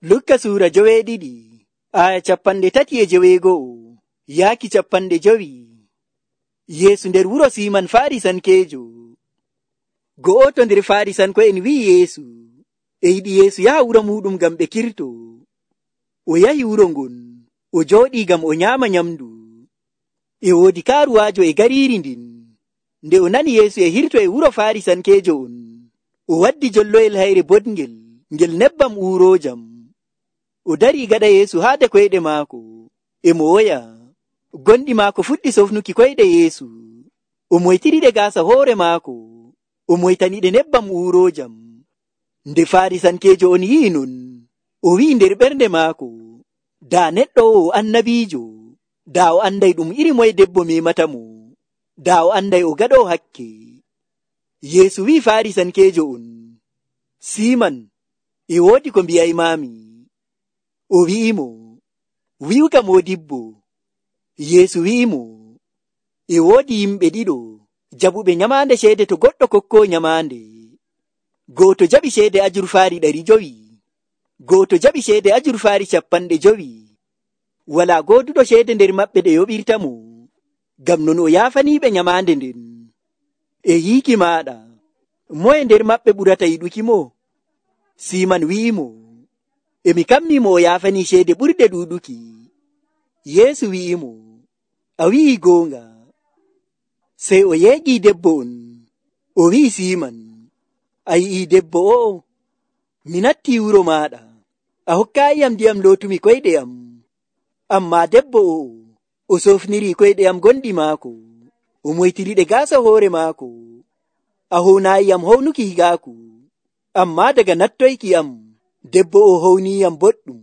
Lukka suura 7 aya 37 yaaki 50. Yeesu nder wuro Siiman Farisankeejo. Go'oto nder Farisanko'en wi'i Yeesu e yiɗi Yeesu yaha wuro muɗum ngam ɓe kirto. O yahi wuro ngon, o jooɗii ngam o nyaama nyamndu. E woodi kaaruwaajo e gariiri ndin. Nde o nani Yeesu e hirto e wuro Farisankeejo on, o waddi jolloyel hayre boɗngel ngel nebbam uuroojam. O darii gaɗa Yeesu haade koyɗe maako, e mo woya. Gonɗi maako fuɗɗi sofnuki koyɗe Yeesu. O moytiriɗe gaasa hoore maako, o moytaniɗe nebbam uuroojam. Nde Farisankeejo on yi'i non, o wi'i nder ɓernde maako, daa neɗɗo o annabiijo, daa o anday ɗum iri moye debbo memata mo, daa o anday o gaɗoo hakke. Yeesu wi'i Farisankeejo on, Siiman, e woodi ko mbi'aymaami. O wi'imo, wi'uka moodibbo. Yeesu wi'imo, e woodi yimɓe ɗiɗo jaɓuɓe nyamaande ceede to goɗɗo kokkoo nyamaande. Gooto jaɓi ceede ajurfaari 500, gooto jaɓi ceede ajurfaari 50. Walaa gooduɗo ceede nder maɓɓe ɗe yoɓirta mo, ngam non o yaafaniiɓe nyamaande nden. E yiiki maaɗa, moye nder maɓɓe ɓurata yiɗuki mo? Siiman wi'imo, emi kammimo o yaafanii ceede ɓurɗe ɗuuɗuki. Yeesu wi'imo, a wi'ii goonga. Sey o yeegii debbo on, o wi'i Siiman, a yi'ii debbo o'o? Mi nattii wuro maaɗa, a hokkaayiyam ndiyam lootumi koyɗe am. Ammaa debbo o'o, o sofnirii koyɗe am gonɗi maako, o moytiriɗe gaasa hoore maako. A hownaayiyam hownuki higaaku, ammaa daga nattoyki am, debbo o howniiyam boɗɗum,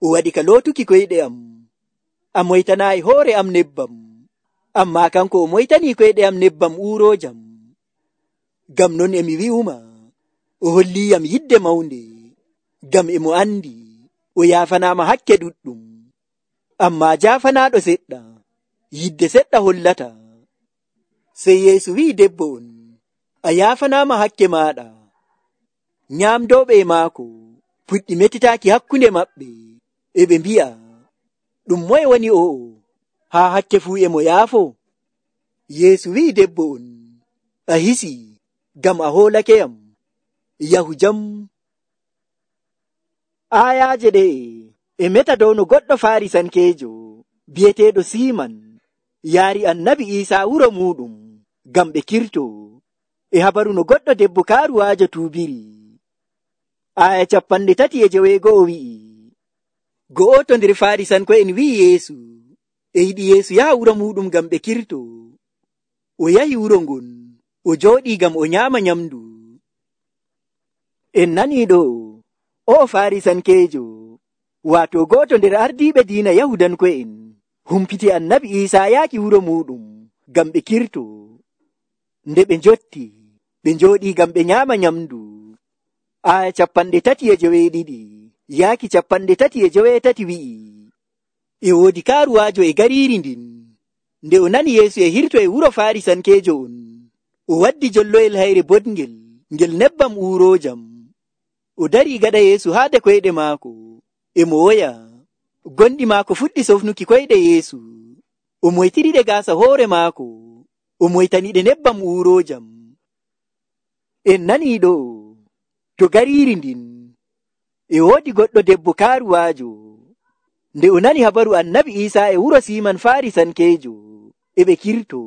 o waɗi ka lootuki koyɗe am. A moytanaayi hoore am nebbam, ammaa kanko o moytanii koyɗe am nebbam uuroojam. Ngam non emi wi'uma, o holliiyam yidde mawnde, ngam emo andi o yaafanaama hakke ɗuɗɗum. Ammaa jaafanaaɗo seɗɗa, yidde seɗɗa hollata. Sey Yeesu wi'i debbo on, a yaafanaama hakke maaɗa. Nyaamdooɓe e maako puɗɗi metitaaki hakkunde maɓɓe, e ɓe mbi'a, ɗum moye woni o'o, haa hakke fuu e mo yaafo? Yeesu wi'i debbo on, a hisii, ngam a hoolakeyam. Yahu jam. Aayaaje ɗe e meta dow no goɗɗo Farisankeejo bi'eteeɗo Siiman yaari Annabi Iisaa wuro muɗum ngam ɓe kirto, e habaru no goɗɗo debbo kaaruwaajo tuubiri. Aya 39 wi'i, go'oto nder Farisanko'en wi'i Yeesu e yiɗi Yeesu yaha wuro muɗum ngam ɓe kirto. O yahi wuro ngon, o jooɗii ngam o nyaama nyamndu. En nanii ɗo, o'o Farisankeejo, waato go'oto nder ardiiɓe diina Yahudanko'en, humpiti Annabi Iisaa yaaki wuro muɗum ngam ɓe kirto. Nde ɓe njotti, ɓe njooɗii ngam ɓe nyaama nyamndu. Aya 32 yaaki 33 wi'i, e woodi kaaruwaajo e gariiri ndin. Nde o nani Yeesu e hirto e wuro Farisankeejo on, o waddi jolloyel hayre boɗngel ngel nebbam uuroojam. O darii gaɗa Yeesu haade koyɗe maako, e mo woya. Gonɗi maako fuɗɗi sofnuki koyɗe Yeesu. O moytiriɗe gaasa hoore maako, o moytaniɗe nebbam uuroojam. En nanii ɗo, to gariiri ndin, e woodi goɗɗo debbo kaaruwaajo. Nde o nani habaru Annabi Iisaa e wuro Siiman Farisankeejo, e ɓe kirto,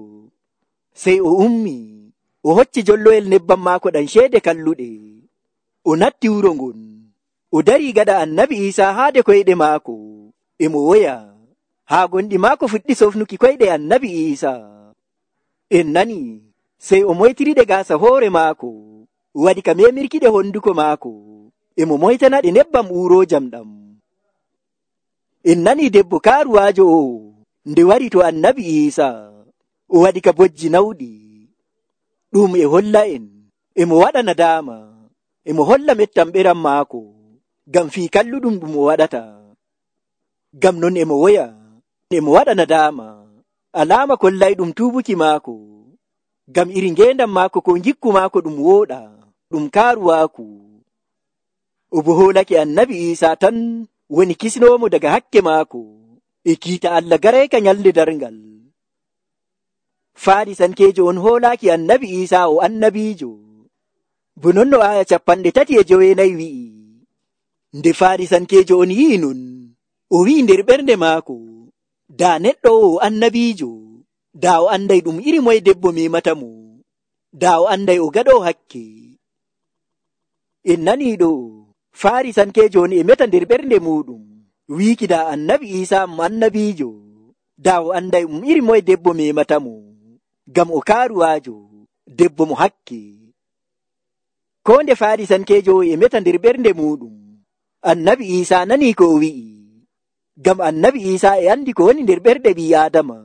sey o ummi, o hocci jolloyel nebbam maako ɗam ceede kalluɗe. O natti wuro ngon, o darii gaɗa Annabi Iisaa haade koyɗe maako, e mo woya. Haa gonɗi maako fuɗɗi sofnuki koyɗe Annabi Iisaa. En nani, sey o moytiriɗe gaasa hoore maako, waɗi ka memirkiɗe honduko maako, e mo moytanaɗe nebbam uuroojam ɗam. En nani debbo kaaruwaajo o, nde wari to Annabi Iisaa, o waɗi ka bojji nawɗi. Ɗum e holla en, e mo waɗa nadaama, e mo holla mettam ɓeram maako, ngam fii kalluɗum ɗum o waɗata. Ngam non e mo woya, e mo waɗa nadaama, alaama kollayɗum tuubuki maako, ngam iri ngeendam maako ko ngikku maako ɗum wooɗa, ɗum kaaruwaaku. o bo hoolake annabi Isa tan woni kisnoomo daga hakke maako e kiita Allah garayka nyalde darngal. Farisankeejo on hoolaaki annabi Isa o annabiijo. Bo non no aya 34 wi'i. Nde farisankeejo on yi'i non, o wi'i nder ɓernde maako, daa neɗɗo o annabiijo, daa o anday ɗum iri moye debbo memata mo, daa o anday o gaɗoo hakke. En nanii ɗo, farisankeejo on e meta nder ɓernde muɗum, wiiki daa annabi Isa mo annabiijo, daa o anday ɗum iri moye debbo memata mo, ngam o kaaruwaajo, debbo mo hakke. Ko nde farisankeejo e meta nder ɓernde muɗum, annabi Isa nanii ko o wi'i, ngam annabi Isa e andi ko woni nder ɓerɗe ɓii Aadama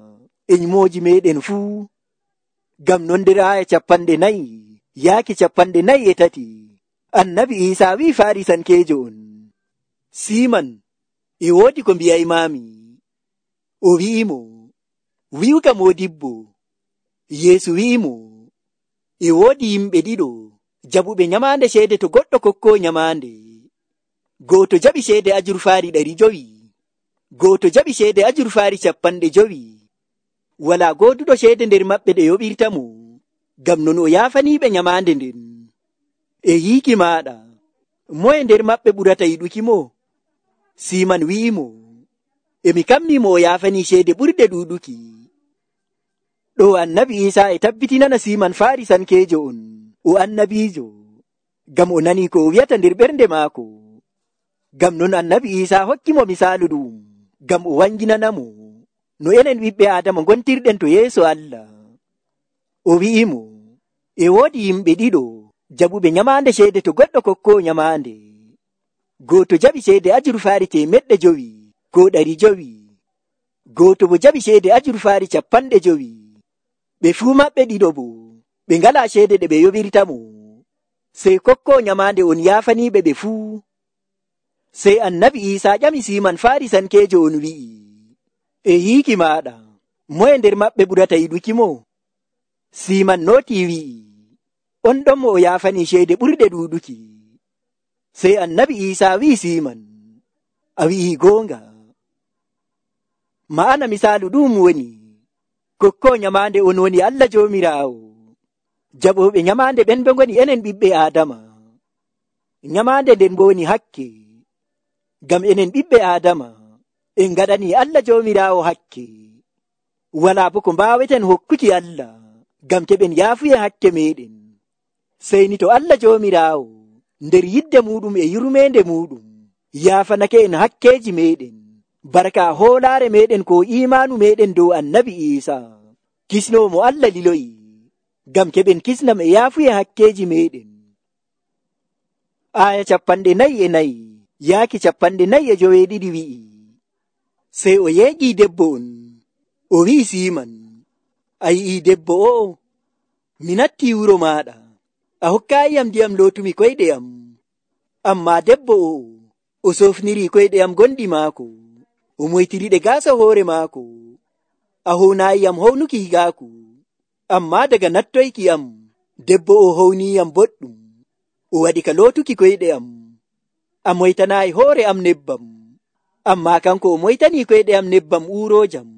e nyumooji meɗen fuu. Ngam non nder aya 40 yaaki 43, annabi Isa wi'i farisankeejo on, Siman, e woodi ko mbi'aymami. O wi'imo, wi'uka modibbo. Yeesu wi'imo, e woodi yimɓe ɗiɗo jaɓuɓe nyamaande ceede to goɗɗo kokko nyamaande. Gooto jaɓi ceede ajurfaari 500, gooto jaɓi ceede ajurfaari 50. Walaa gooduɗo ceede nder maɓɓe ɗe yoɓirta mo, ngam non o yaafaniiɓe nyamaande nden. E yiiki maaɗa, moye nder maɓɓe ɓurata yiɗuki mo? Siman wi'imo, emi kammimo o yaafanii ceede ɓurde ɗuuɗuki. Ɗo annabi Isa e tabbitinana Siman farisankeejo on, o annabiijo, ngam o nanii ko o wi'ata nder ɓernde maako. Ngam non annabi Isa hokkimo misaalu ɗum, ngam o wanginanamo no enen ɓiɓɓe Aadama ngontirɗen to yeeso Allah. O wi'imo, e woodi yimɓe ɗiɗo jaɓuɓe nyamaande ceede to goɗɗo kokko nyamaande. Gooto jaɓi ceede ajurfaari 500 ko 500, gooto bo jaɓi ceede ajurfaari 50. Ɓe fuu maɓɓe ɗiɗo bo ɓe ngalaa ceede ɗe ɓe yoɓirta mo, sey kokko nyamaande on yaafaniiɓe ɓe fuu. Sey annabi Isa ƴami Siman farisankeejo on wi'i, e yiiki maaɗa, moye nder maɓɓe ɓurata yiɗuki mo? Siman nootii wi'i, on ɗon mo o yaafanii ceede ɓurɗe ɗuuɗuki. Sey annabi Isa wi'i Siman, a wi'ii goonga. Ma'ana misaalu ɗum woni, kokko nyamaande on woni Allah Joomiraawo, jaɓooɓe nyamaande ɓen ɓe ngoni enen ɓiɓɓe Aadama. Nyamaande nden bo woni hakke, ngam enen ɓiɓɓe Aadama en ngaɗanii Allah Joomiraawo hakke. Walaa bo ko mbaaweten hokkuki Allah, ngam keɓen yaafuye hakke meɗen. Sey ni to Allah Joomiraawo nder yidde muɗum e yurmeende muɗum yaafanake en hakkeeji meɗen, barka hoolaare meɗen ko imaanu meɗen dow annabi Isa, kisnoomo Allah liloyi, ngam keɓen kisnam e yaafuye hakkeeji meɗen. Aya 44 yaaki 45 wi'i, sey o yeeƴii debbo on, o wi'i Siman, a yi'ii debbo o'o, mi nattii wuro maaɗa, a hokkaayiyam ndiyam lootumi koyɗe am, ammaa debbo o'o o sofnirii koyɗe am gonɗi maako, o moytiriɗe gaasa hoore maako, a hownaayiyam hownuki higaaku, ammaa daga nattoyki am debbo o howniiyam boɗɗum, o waɗi ka lootuki koyɗe am. A moytanaayi hoore am nebbam, ammaa kanko o moytanii koyɗe am nebbam uuroojam.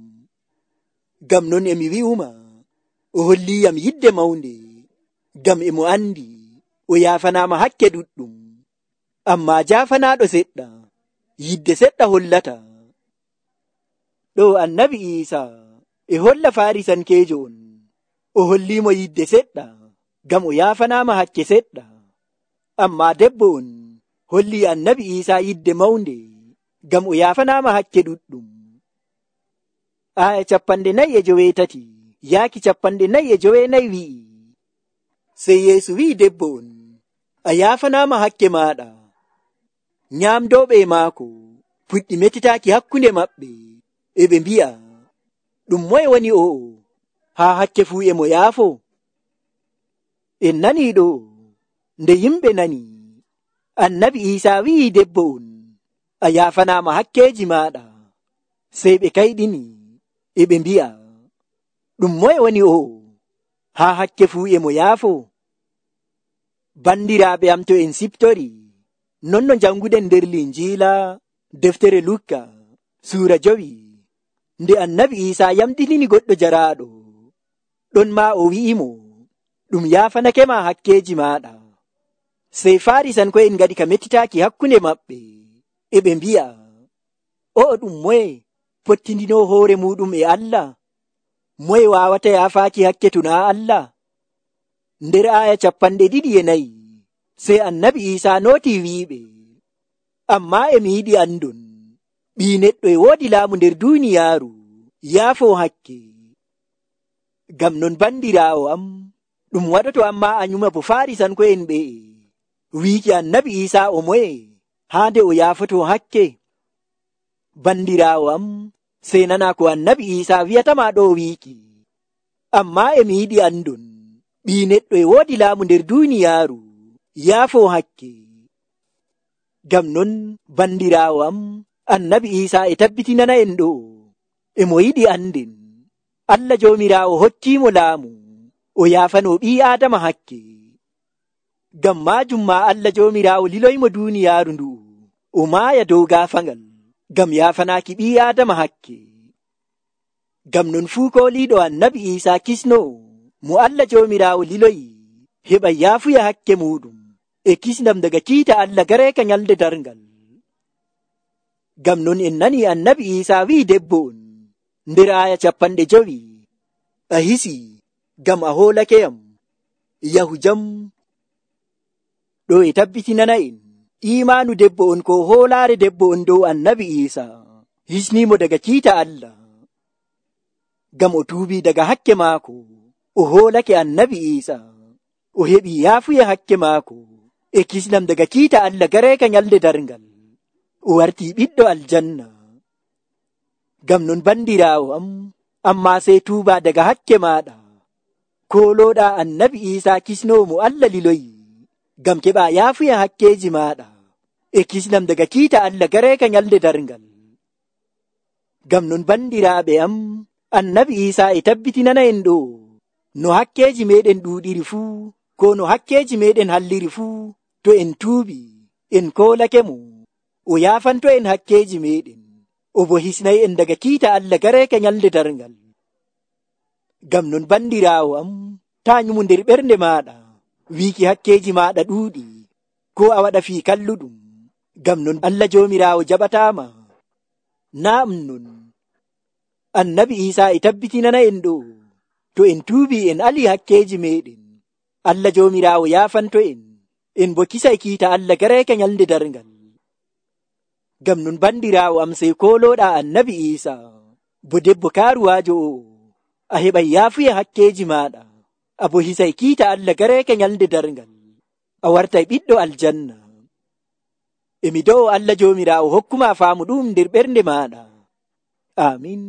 Ngam non emi wi'uma, o holliiyam yidde mawnde, ngam emo andi o yaafanaama hakke ɗuɗɗum, ammaa jaafanaaɗo seɗɗa, yidde seɗɗa hollata. Ɗo annabi Isa e holla farisankeejo on, o holliimo yidde seɗɗa, ngam o yaafanaama hakke seɗɗa, ammaa debbo on holli annabi Isa yidde mawnde, ngam o yaafanaama hakke ɗuɗɗum. Aya 43 yaaki 44 wi'i, sey Yeesu wi'i debbo on, a yaafanaama hakke maaɗa. Nyaamdooɓe maako puɗɗi metitaaki hakkunde maɓɓe, e ɓe mbi'a, ɗum moye woni o'o, haa hakke fuu e mo yaafo? En nanii ɗo, nde yimɓe nani, annabi Isa wi'i debbo on, a yaafanaama hakkeeji maaɗa. Sey ɓe kayɗini, e ɓe mbi'a, ɗum moye woni o'o, haa hakke fuu e mo yaafo? Bandiraaɓe am to en siptori, non no janguɗen nder linjiila deftere Lukka suura 5 nde annabi Isa yamɗinini goɗɗo jaraaɗo ɗon ma o wi'imo ɗum yaafanake ma hakkeji maɗa. Sey Farisanko'en ngaɗi ka mettitaaki hakkunde maɓɓe e ɓe mbi'a, o'o ɗum moye pottindino hoore muɗum e Allah? Moye wawata yaafaaki hakke to naa Allah? Nder aya 24 sey annabi Isa nooti wi'iɓe, amma e mi yiɗi andon ɓii neɗɗo e woodi laamu nder duuniyaaru yaafo hakke. Ngam non bandiraawo am, ɗum waɗoto amma a nyuma bo Farisanko'en ɓe'e wiiki annabi Isa o moye haande o yaafoto hakke. Bandiraawo am, sey nana ko annabi Isa wi'atama ɗo wiiki, amma e mi yiɗi andon ɓii neɗɗo e woodi laamu nder duuniyaaru yaafo hakke. Ngam non bandiraawo am, annabi Isa e tabbitinana en ɗo e mo yiɗi anden Allah Joomiraawo hokkiimo laamu o yaafano ɓii Aadama hakke. Ngam maajum ma Allah Joomiraawo liloymo duuniyaaru ndu o maaya dow gaafangal ngam yaafanaaki ɓii Aadama hakke. Ngam non fuu kooliiɗo annabi Isa kisno mo Allah Joomiraawo liloyi heɓa yaafuya hakke muɗum e kisndam daga kiita Allah gareeka nyalde darngal. Ngam non en nani annabi Isa wi'i debbo on nder aya 50, a hisi ngam a hoolakeyam, yahu jam. Ɗo e tabbitinana en imaanu debbo on ko hoolaare debbo on dow annabi Isa hisnimo daga kiita Allah. Ngam o tuubi daga hakke maako, o hoolake annabi Isa, o heɓi yaafuya hakke maako e kisnam daga kiita Allah gareeka nyalde darngal, o warti ɓiɗɗo aljanna. Ngam non bandiraawo am, amma sey tuuba daga hakke maɗa, kooloɗa annabi Isa kisnomo Allah liloyi ngam keɓa yaafuya hakkeji maɗa e kisnam daga kiita Allah gareeka nyalde darngal. Ngam non bandiraaɓe am, annabi Isa e tabbitinana en ɗo no hakkeji meɗen ɗuuɗiri fuu, ko no hakkeji meɗen halliri fuu, to en tuubi en koolake mo, o yaafanto en hakkeji meɗen, o bo hisnay en daga kiita Allah gareeka nyalde darngal. Ngam non bandiraawo am, ta nyumu nder ɓernde maɗa wiiki hakkeji maɗa ɗuuɗi, ko a waɗa fii kalluɗum. Ngam non Allah Joomiraawo jaɓatama. Naam non annabi Isa e tabbitinana en ɗo to en tuubi en ali hakkeji meɗen, Allah Joomiraawo yaafanto en bo kisay kiita Allah gareeka nyalde darngal. Ngam non bandiraawo am, sey kooloɗa annabi Isa bo debbo kaaruwaajo o, a heɓay yaafuya hakkeji maɗa, a bo hisay kiita Allah gareeka nyalde darngal, a wartay ɓiɗɗo aljanna. E mi do'o Allah Joomiraawo hokkuma faamu ɗum nder ɓernde maɗa. Amin.